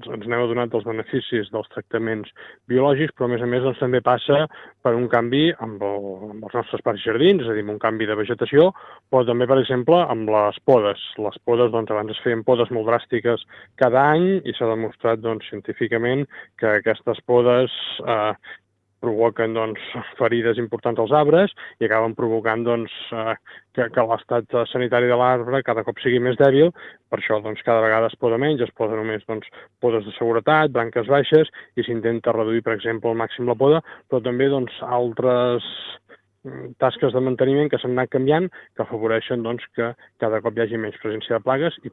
ens n'hem adonat dels beneficis dels tractaments biològics, però a més doncs, també passa per un canvi amb els nostres parcs i jardins, és a dir, un canvi de vegetació, però també, per exemple, amb les podes. Les podes, doncs, abans es feien podes molt dràstiques cada any i s'ha demostrat doncs, científicament que aquestes podes provoquen doncs, ferides importants als arbres i acaben provocant doncs, que l'estat sanitari de l'arbre cada cop sigui més dèbil. Per això doncs, cada vegada es poda menys, es poda només doncs, podes de seguretat, branques baixes, i s'intenta reduir, per exemple, al màxim la poda, però també doncs, altres tasques de manteniment que s'han anat canviant, que afavoreixen doncs, que cada cop hi hagi menys presència de plagues i